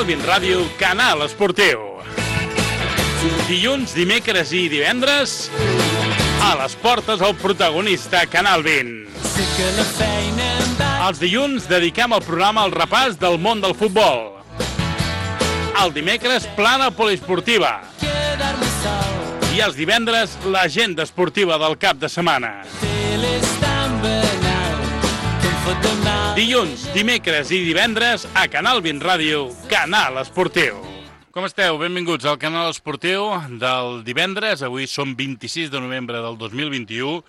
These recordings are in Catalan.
Canal 20 Ràdio, Canal Esportiu. Dilluns, dimecres i divendres, a les portes el protagonista Canal 20. Els dilluns dediquem el programa al repàs del món del futbol. El dimecres, plana poliesportiva. I els divendres, l'agenda esportiva del cap de setmana. Dilluns, dimecres i divendres a Canal 20 Ràdio, Canal Esportiu. Com esteu? Benvinguts al Canal Esportiu del divendres. Avui som 26 de novembre del 2021.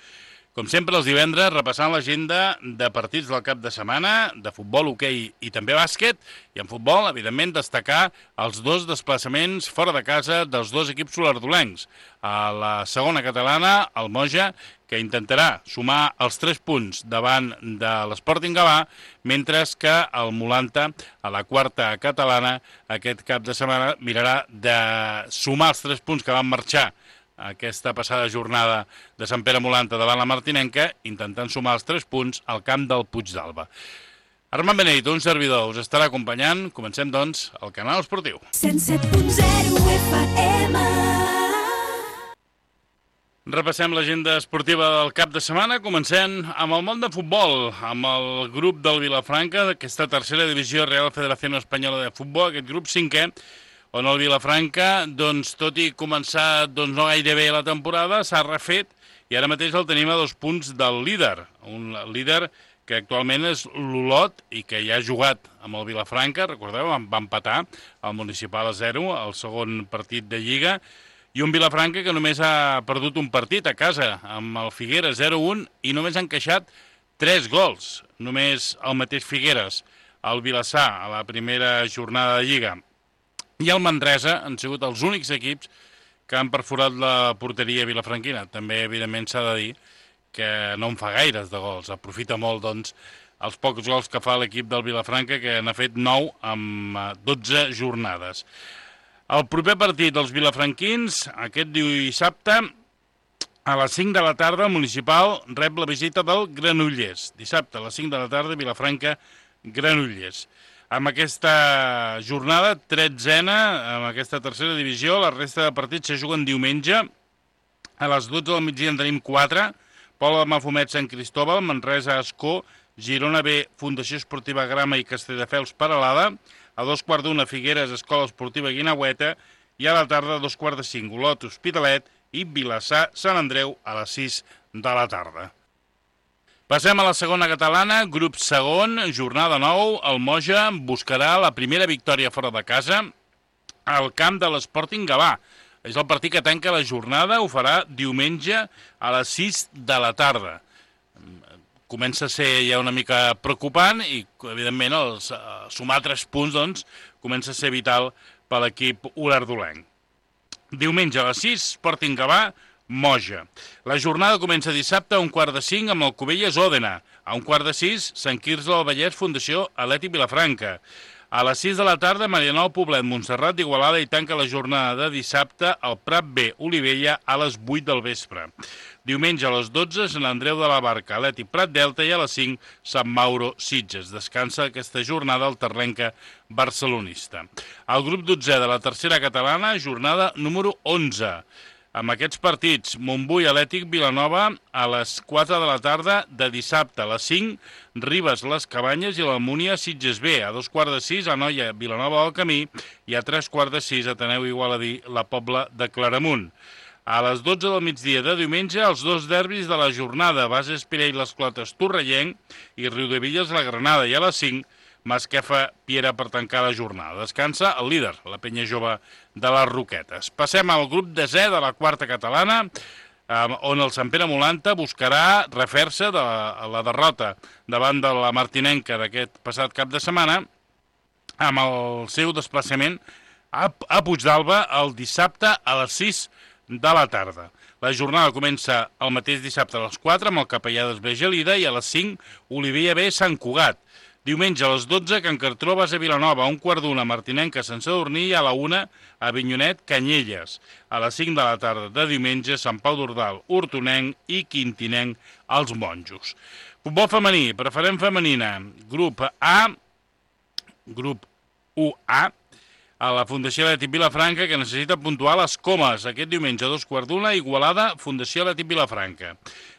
Com sempre, els divendres, repassant l'agenda de partits del cap de setmana, de futbol, hoquei i també bàsquet. I en futbol, evidentment, destacar els dos desplaçaments fora de casa dels dos equips solardolencs. A la segona catalana, el Moja, que intentarà sumar els 3 punts davant de l'Sporting Gavà, mentre que el Molanta, a la quarta catalana, aquest cap de setmana mirarà de sumar els 3 punts que van marxar aquesta passada jornada de Sant Pere Molanta davant la Martinenca, intentant sumar els 3 punts al camp del Puigdàlber. Armand Benedito, un servidor, us estarà acompanyant. Comencem, doncs, el Canal Esportiu. 107.0 FM. Repassem l'agenda esportiva del cap de setmana, comencem amb el món de futbol, amb el grup del Vilafranca, d'aquesta tercera divisió Real Federación Espanyola de Futbol, aquest grup 5è, on el Vilafranca, doncs, tot i començar no gaire bé la temporada, s'ha refet i ara mateix el tenim a 2 punts del líder. Un líder que actualment és l'Olot i que ja ha jugat amb el Vilafranca, recordeu, va empatar el Municipal a 0, el segon partit de Lliga, i un Vilafranca que només ha perdut un partit a casa, amb el Figueres 0-1, i només han encaixat 3 gols. Només el mateix Figueres, el Vilassar, a la primera jornada de Lliga, i el Manresa han sigut els únics equips que han perforat la porteria vilafranquina. També, evidentment, s'ha de dir que no en fa gaires de gols. Aprofita molt, doncs, els pocs gols que fa l'equip del Vilafranca, que n'ha fet 9 amb 12 jornades. El proper partit dels vilafranquins, aquest dissabte, a les 5 de la tarda, el Municipal rep la visita del Granollers. Dissabte, a les 5 de la tarda, Vilafranca, Granollers. Amb aquesta jornada, 13a, amb aquesta tercera divisió, la resta de partits se juguen diumenge. A les 12 del migdia en tenim 4. Pola de Mafumet, Sant Cristóbal, Manresa, Ascó, Girona B, Fundació Esportiva Grama i Castelldefels, Peralada. A 2:15, Figueres, Escola Esportiva Guinaueta. I a la tarda, a 2:45, Olot, Hospitalet i Vilassar, Sant Andreu, a les 6 de la tarda. Passem a la segona catalana, grup segon, jornada 9, el Moja buscarà la primera victòria fora de casa al camp de l'Sporting Gavà. És el partit que tanca la jornada, ho farà diumenge a les 6 de la tarda. Comença a ser ja una mica preocupant i, evidentment, sumar 3 punts, doncs, comença a ser vital per l'equip olardolenc. Diumenge a les 6, Sporting Gavà, Moja. La jornada comença dissabte a 4:45 amb el Cubelles Òdena. A 5:15, Sant Quirze del Vallès, Fundació Atlètic Vilafranca. A les 6 de la tarda, Marianao Poblet, Montserrat d'Igualada, i tanca la jornada de dissabte al Prat B, Olivella, a les 8 del vespre. Diumenge a les 12, Sant Andreu de la Barca, Atlètic Prat Delta, i a les 5, Sant Mauro Sitges. Descansa aquesta jornada el terrenca barcelonista. El grup 12 de la tercera catalana, jornada número 11. Amb aquests partits, Montbui, Atlètic, Vilanova, a les 4 de la tarda de dissabte. A les 5, Ribes, Les Cabanyes i l'Almúnia, Sitges B. A 5:15, Anoia, Vilanova del Camí, i a 3:15, Ateneu Igualadí, la Pobla de Claramunt. A les 12 del migdia de diumenge, els 2 derbis de la jornada, Bases Pirell, Les Clotes, Torrellenc, i Riudevilles, la Granada. I a les 5, Masquefa, Piera, per tancar la jornada. Descansa el líder, la penya jove de les Roquetes. Passem al grup 10è de la quarta catalana, on el Sant Pere Molanta buscarà refer-se de la derrota davant de la Martinenca d'aquest passat cap de setmana, amb el seu desplaçament a Puigdàlber el dissabte a les 6 de la tarda. La jornada comença el mateix dissabte a les 4 amb el Capellà d'Esbé Gelida, i a les 5, Olivella B, Sant Cugat. Diumenge a les 12, Can Cartró, Base Vilanova, a 1:15, Martinenca, Sant Sadurní, i a la 1, Avinyonet, Canyelles. A les 5 de la tarda de diumenge, Sant Pau d'Ordal, Hortonenc i Quintinenc, els Monjos. Futbol femení, preferent femenina, grup A, grup 1A, a la Fundació Atlètic Vilafranca, que necessita puntuar les comes. Aquest diumenge a 2:15, Igualada, Fundació Atlètic Vilafranca.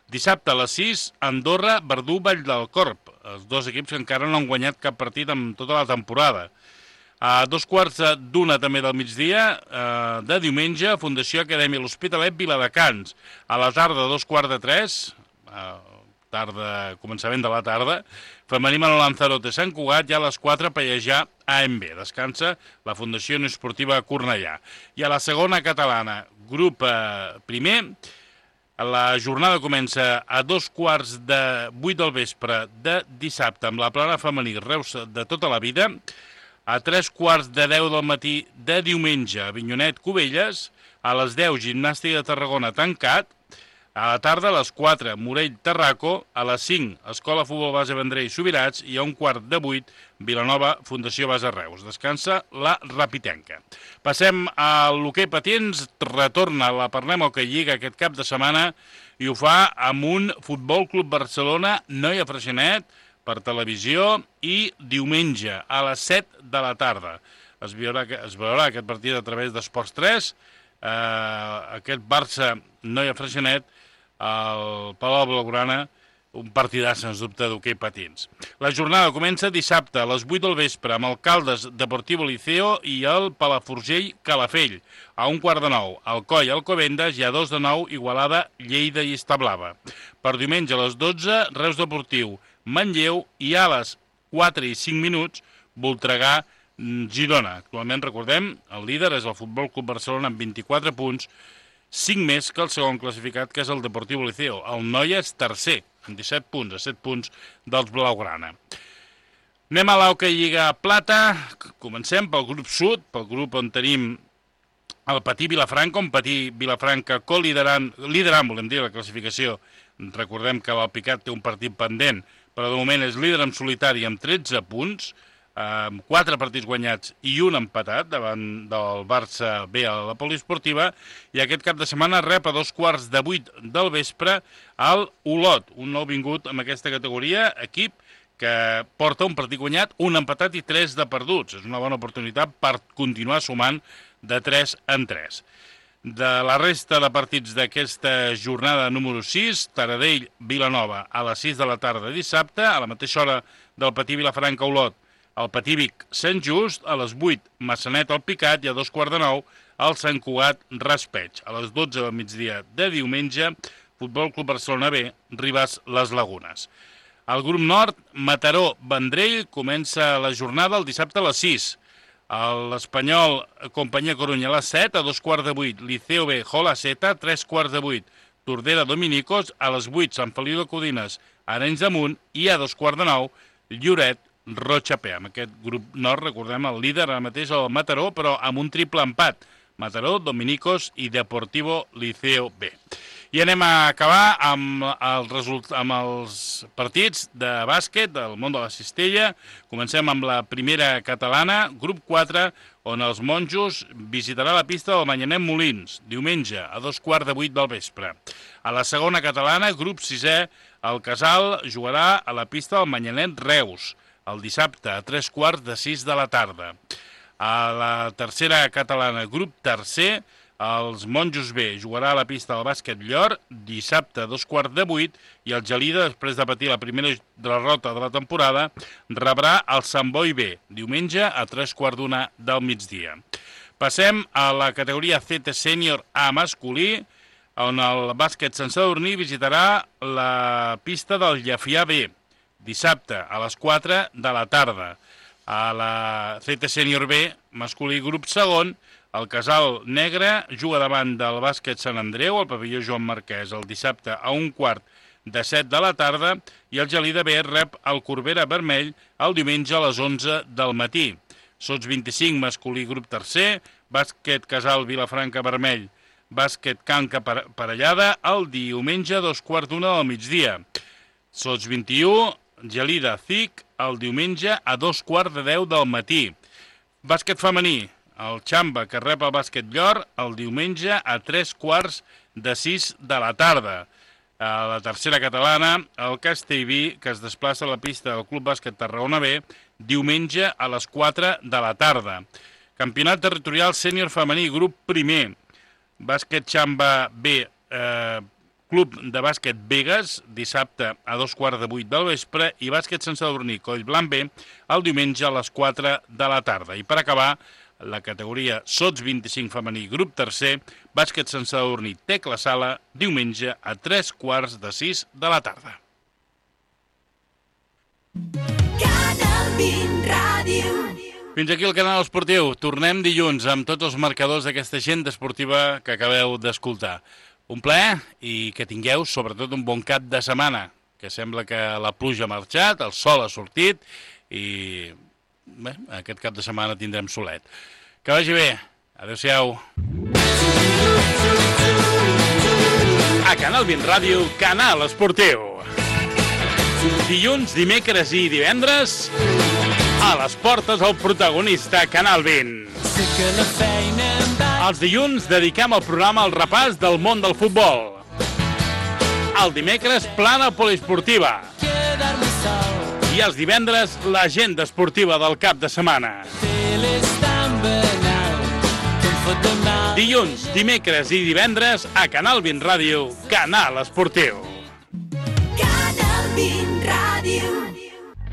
Dissabte a les 6, Andorra, Verdú, Vall del Corp. Els dos equips que encara no han guanyat cap partit en tota la temporada. A 2:15 també del migdia, de diumenge, Fundació Acadèmia L'Hospitalet, Viladecans. A la tarda, a 2:45, començament de la tarda, femení Manol Lanzarote, Sant Cugat, i a les 4, Pallejà, AMB. Descansa la Fundació Unió Esportiva Cornellà. I a la segona catalana, grup primer, la jornada comença a 7:15 del vespre de dissabte amb la plana femení Reus de tota la vida, a 7:45 del matí de diumenge Avinyonet Cubelles, a les 10 Gimnàstica de Tarragona tancat, a la tarda a les 4 Morell Tarraco, a les 5 Escola Futbol Base Vendrell Subirats i a 7:15 Vilanova Fundació Base Reus. Descansa la Rapitenca. Passem a l'hoquei patins, retorna la Parlem Hoquei Lliga aquest cap de setmana i ho fa amb un Futbol Club Barcelona Noia Freixenet per televisió i diumenge a les 7 de la tarda. Es veurà aquest partit a través d'Esports 3, aquest Barça Noia Freixenet al Palau Blaugrana, un partidàs, sens dubte, d'hoquei patins. La jornada comença dissabte a les 8 del vespre amb el Caldes Deportivo Liceo i el Palafrugell Calafell. A 8:15, Alcoi Alcobendas i a 2:09, Igualada Lleida i Establava. Per diumenge a les 12, Reus Deportiu Manlleu i a les 4:05, Voltregà Girona. Actualment, recordem, el líder és el Futbol Club Barcelona amb 24 punts, 5 més que el segon classificat, que és el Deportivo Liceo. El Noia és tercer, amb 17 punts, a 7 punts dels Blaugrana. Anem a l'Hoquei Lliga Plata. Comencem pel grup sud, pel grup on tenim el Patí Vilafranca, on Patí Vilafranca liderant, volem dir, la classificació. Recordem que l'Alpicat té un partit pendent, però de moment és líder en solitari amb 13 punts, amb 4 partits guanyats i un empatat davant del Barça B a la poliesportiva, i aquest cap de setmana rep a 7:15 del vespre al Olot, un nou vingut en aquesta categoria, equip que porta un partit guanyat, un empatat i 3 de perduts. És una bona oportunitat per continuar sumant de 3 en 3. De la resta de partits d'aquesta jornada número 6, Taradell-Vilanova a les 6 de la tarda dissabte, a la mateixa hora del Patí Vilafranca-Olot, el Patí Vic-Sant Just, a les 8 Massanet-Alpicat i a 2:15 el Sant Cugat-Raspeig. A les 12 del migdia de diumenge, Futbol Club Barcelona B, Ribes-Les Lagunes. Al grup nord, Mataró-Vendrell, comença la jornada el dissabte a les 6. L'Espanyol Companyia Corunya a les 7, a 2:15 Liceo B, Jola-Seta, 3:15 Tordera Dominicos, a les 8 Sant Feliu de Codines, Arenys de Munt i a 2:15 Lloret, Rocha-P. Amb aquest grup nord, recordem, el líder ara mateix el Mataró, però amb un triple empat. Mataró, Dominicos i Deportivo Liceo B. I anem a acabar amb els partits de bàsquet del món de la cistella. Comencem amb la primera catalana, grup 4, on els monjos visitarà la pista del Manyanet Molins, diumenge a 2:15 del vespre. A la segona catalana, grup 6è, el Casal jugarà a la pista del Manyanet Reus, el dissabte a 3:15 de la tarda. A la tercera catalana, grup tercer, els Monjos B jugarà a la pista del Bàsquet Llor, dissabte a 2:15, i el Gelida, després de patir la primera derrota de la temporada, rebrà el Sant Boi B, diumenge a 3:15 del migdia. Passem a la categoria CT Sènior A masculí, on el Bàsquet Sant Sadurní visitarà la pista del Llefià B, dissabte a les 4 de la tarda. A la CT Sènior B masculí grup segon, el Casal Negre juga davant del Bàsquet Sant Andreu, al pavelló Joan Marquès, el dissabte a 6:15 de la tarda, i el Gelida B rep el Corbera Vermell el diumenge a les 11 del matí. Sots 25 masculí grup tercer, Bàsquet Casal Vilafranca Vermell, Bàsquet Canca Parellada, el diumenge a 2:15 del migdia. Sots 21, Gelida CIC, el diumenge a 2:15 del matí. Bàsquet femení, el Xamba, que rep el Bàsquet Llor, el diumenge a 3:45 de la tarda. A la tercera catalana, el Castellví, que es desplaça a la pista del Club Bàsquet Tarragona B, diumenge a les 4 de la tarda. Campionat territorial sènior femení, grup primer. Bàsquet Xamba B, Club de Bàsquet Begues, dissabte a 7:15 del vespre, i Bàsquet Sant Sadurní Collblanc B, el diumenge a les 4 de la tarda. I per acabar, la categoria Sots 25 femení, grup tercer, Bàsquet Sant Sadurní Tecla Sala, diumenge a 5:45 de la tarda. Canal 20 Ràdio. Fins aquí el canal esportiu. Tornem dilluns amb tots els marcadors d'aquesta agenda esportiva que acabeu d'escoltar. Un plaer i que tingueu sobretot un bon cap de setmana, que sembla que la pluja ha marxat, el sol ha sortit i bé, aquest cap de setmana tindrem solet. Que vagi bé. Adéu-siau. A Canal 20 Ràdio, canal esportiu. Dilluns, dimecres i divendres, a les portes el protagonista Canal 20. Els dilluns dediquem el programa al repàs del món del futbol. El dimecres, plana poliesportiva. I els divendres, l'agenda esportiva del cap de setmana. Dilluns, dimecres i divendres, a Canal 20 Ràdio, canal esportiu.